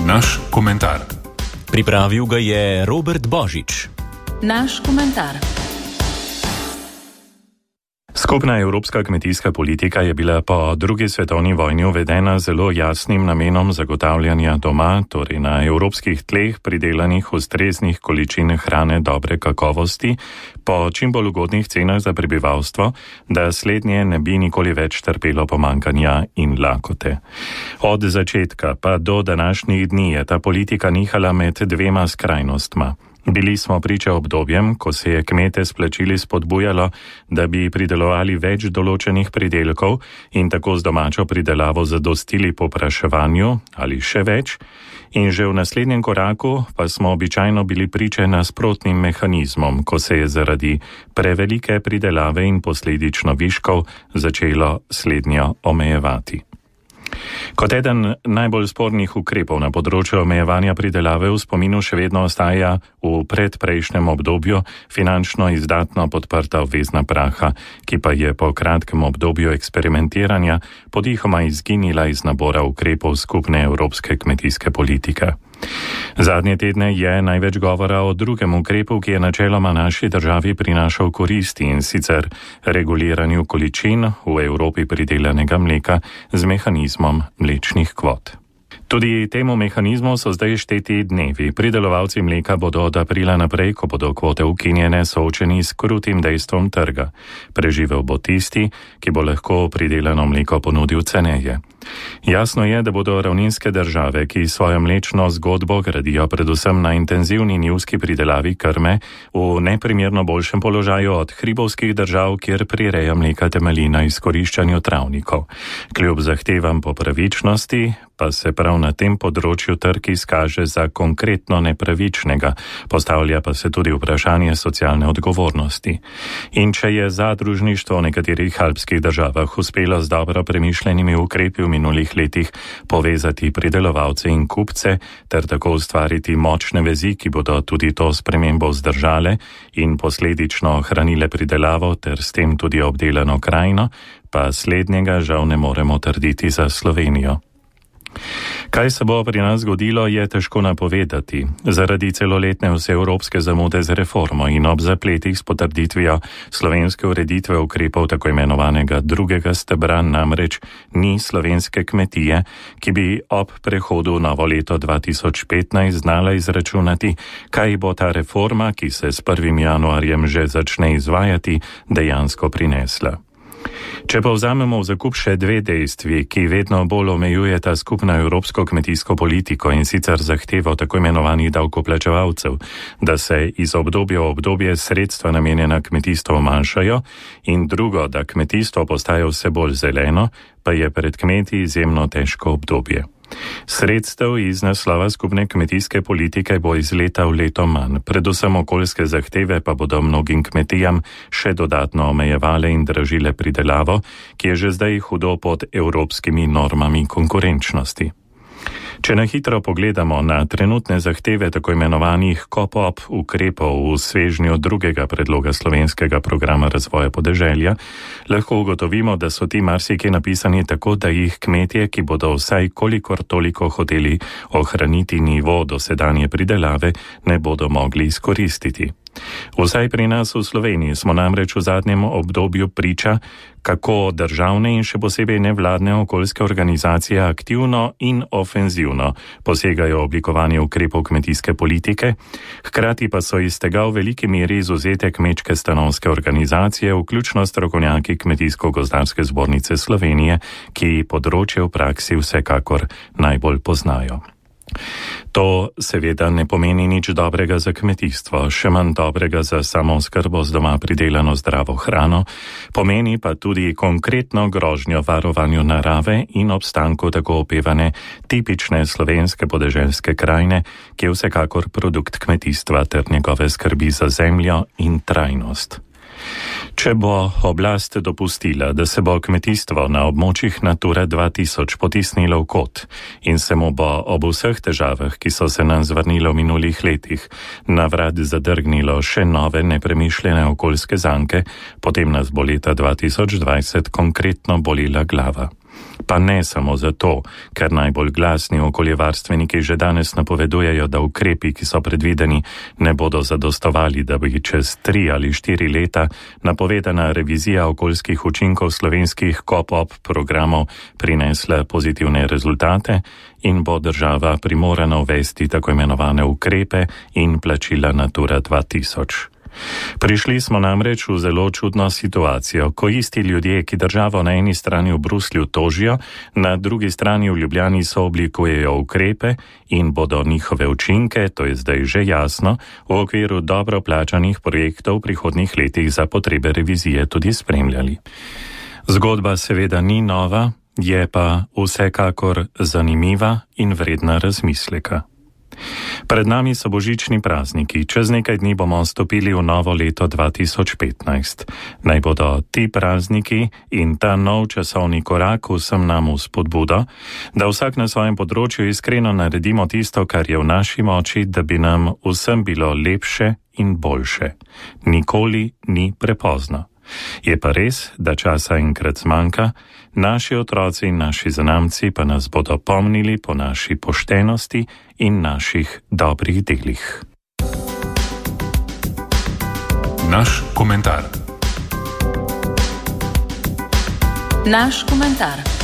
Naš komentar. Pripravil ga je Robert Božič. Naš komentar. Skupna evropska kmetijska politika je bila po drugi svetovni vojni uvedena zelo jasnim namenom zagotavljanja doma, torej na evropskih tleh, pridelanih ustreznih količin hrane dobre kakovosti po čim bolj ugodnih cenah za prebivalstvo, da slednje ne bi nikoli več trpelo pomanjkanja in lakote. Od začetka pa do današnjih dni je ta politika nihala med dvema skrajnostma. Bili smo priča obdobjem, ko se je kmete s plačili spodbujalo, da bi pridelovali več določenih pridelkov in tako z domačo pridelavo zadostili povpraševanju ali še več, in že v naslednjem koraku pa smo običajno bili priče nasprotnim mehanizmom, ko se je zaradi prevelike pridelave in posledično viškov začelo slednjo omejevati. Kot eden najbolj spornih ukrepov na področju omejevanja pridelave v spominu še vedno ostaja v predprejšnjem obdobju finančno izdatno podprta obvezna praha, ki pa je po kratkem obdobju eksperimentiranja podihoma izginila iz nabora ukrepov skupne evropske kmetijske politike. Zadnje tedne je največ govora o drugem ukrepu, ki je načeloma naši državi prinašal koristi, in sicer reguliranju količin v Evropi pridelanega mleka z mehanizmom mlečnih kvot. Tudi temu mehanizmu so zdaj šteti dnevi. Pridelovalci mleka bodo od aprila naprej, ko bodo kvote ukinjene, soočeni s krutim dejstvom trga. Preživel bo tisti, ki bo lahko pridelano mleko ponudil ceneje. Jasno je, da bodo ravninske države, ki svojo mlečno zgodbo gradijo predvsem na intenzivni njivski pridelavi krme, v neprimerno boljšem položaju od hribovskih držav, kjer prireja mleka temelji na izkoriščanju travnikov. Kljub zahtevam po pravičnosti pa se prav na tem področju trg izkaže za konkretno nepravičnega, postavlja pa se tudi vprašanje socialne odgovornosti. In če je zadružništvo v nekaterih alpskih državah uspelo z dobro premišljenimi ukrepi v minulih letih povezati pridelovalce in kupce ter tako ustvariti močne vezi, ki bodo tudi to spremembo vzdržale in posledično ohranile pridelavo ter s tem tudi obdelano krajino, pa slednjega žal ne moremo trditi za Slovenijo. Kaj se bo pri nas zgodilo, je težko napovedati. Zaradi celoletne vseevropske zamude z reformo in ob zapletih s potrditvijo slovenske ureditve ukrepov tako imenovanega drugega stebra namreč ni slovenske kmetije, ki bi ob prehodu v novo leto 2015 znala izračunati, kaj bo ta reforma, ki se s 1. januarjem že začne izvajati, dejansko prinesla. Če pa vzamemo v zakup še dve dejstvi, ki vedno bolj omejujeta skupno evropsko kmetijsko politiko, in sicer zahtevo tako imenovanih davkoplačevalcev, da se iz obdobja v obdobje sredstva namenjena kmetijstvu manjšajo, in drugo, da kmetijstvo postaja vse bolj zeleno, pa je pred kmeti izjemno težko obdobje. Sredstev iz naslova skupne kmetijske politike bo iz leta v leto manj, predvsem okoljske zahteve pa bodo mnogim kmetijam še dodatno omejevale in dražile pridelavo, ki je že zdaj hudo pod evropskimi normami konkurenčnosti. Če na hitro pogledamo na trenutne zahteve tako imenovanih KOPOP ukrepov v svežnju drugega predloga slovenskega programa razvoja podeželja, lahko ugotovimo, da so ti marsikje napisani tako, da jih kmetje, ki bodo vsaj kolikor toliko hoteli ohraniti nivo dosedanje pridelave, ne bodo mogli izkoristiti. Vsaj pri nas v Sloveniji smo namreč v zadnjem obdobju priča, kako državne in še posebej nevladne okoljske organizacije aktivno in ofenzivno posegajo oblikovanje ukrepov kmetijske politike, hkrati pa so iz tega v veliki meri izvzete kmečke stanovske organizacije, vključno strokovnjaki Kmetijsko-gozdarske zbornice Slovenije, ki področje v praksi vsekakor najbolj poznajo. To seveda ne pomeni nič dobrega za kmetijstvo, še manj dobrega za samooskrbo z doma pridelano zdravo hrano, pomeni pa tudi konkretno grožnjo varovanju narave in obstanku tako opevane tipične slovenske podeželske krajine, ki je vsekakor produkt kmetijstva ter njegove skrbi za zemljo in trajnost. Če bo oblast dopustila, da se bo kmetijstvo na območjih Natura 2000 potisnilo v kot in se mu bo ob vseh težavah, ki so se nam zvrnile v minulih letih, na vrat zadrgnilo še nove nepremišljene okoljske zanke, potem nas bo leta 2020 konkretno bolila glava. Pa ne samo zato, ker najbolj glasni okoljevarstveniki že danes napovedujejo, da ukrepi, ki so predvideni, ne bodo zadostovali, da bi čez 3 ali 4 leta napovedana revizija okoljskih učinkov slovenskih KOPOP programov prinesla pozitivne rezultate in bo država primorana uvesti tako imenovane ukrepe in plačila Natura 2000. Prišli smo namreč v zelo čudno situacijo, ko isti ljudje, ki državo na eni strani v Bruslju tožijo, na drugi strani v Ljubljani sooblikujejo ukrepe in bodo njihove učinke, to je zdaj že jasno, v okviru dobro plačanih projektov v prihodnjih letih za potrebe revizije tudi spremljali. Zgodba seveda ni nova, je pa vsekakor zanimiva in vredna razmisleka. Pred nami so božični prazniki, čez nekaj dni bomo stopili v novo leto 2015. Naj bodo ti prazniki in ta nov časovni korak vsem nam v spodbudo, da vsak na svojem področju iskreno naredimo tisto, kar je v naši moči, da bi nam vsem bilo lepše in boljše. Nikoli ni prepozno. Je pa res, da časa enkrat zmanjka, naši otroci in naši zanamci pa nas bodo pomnili po naši poštenosti in naših dobrih delih. Naš komentar. Naš komentar.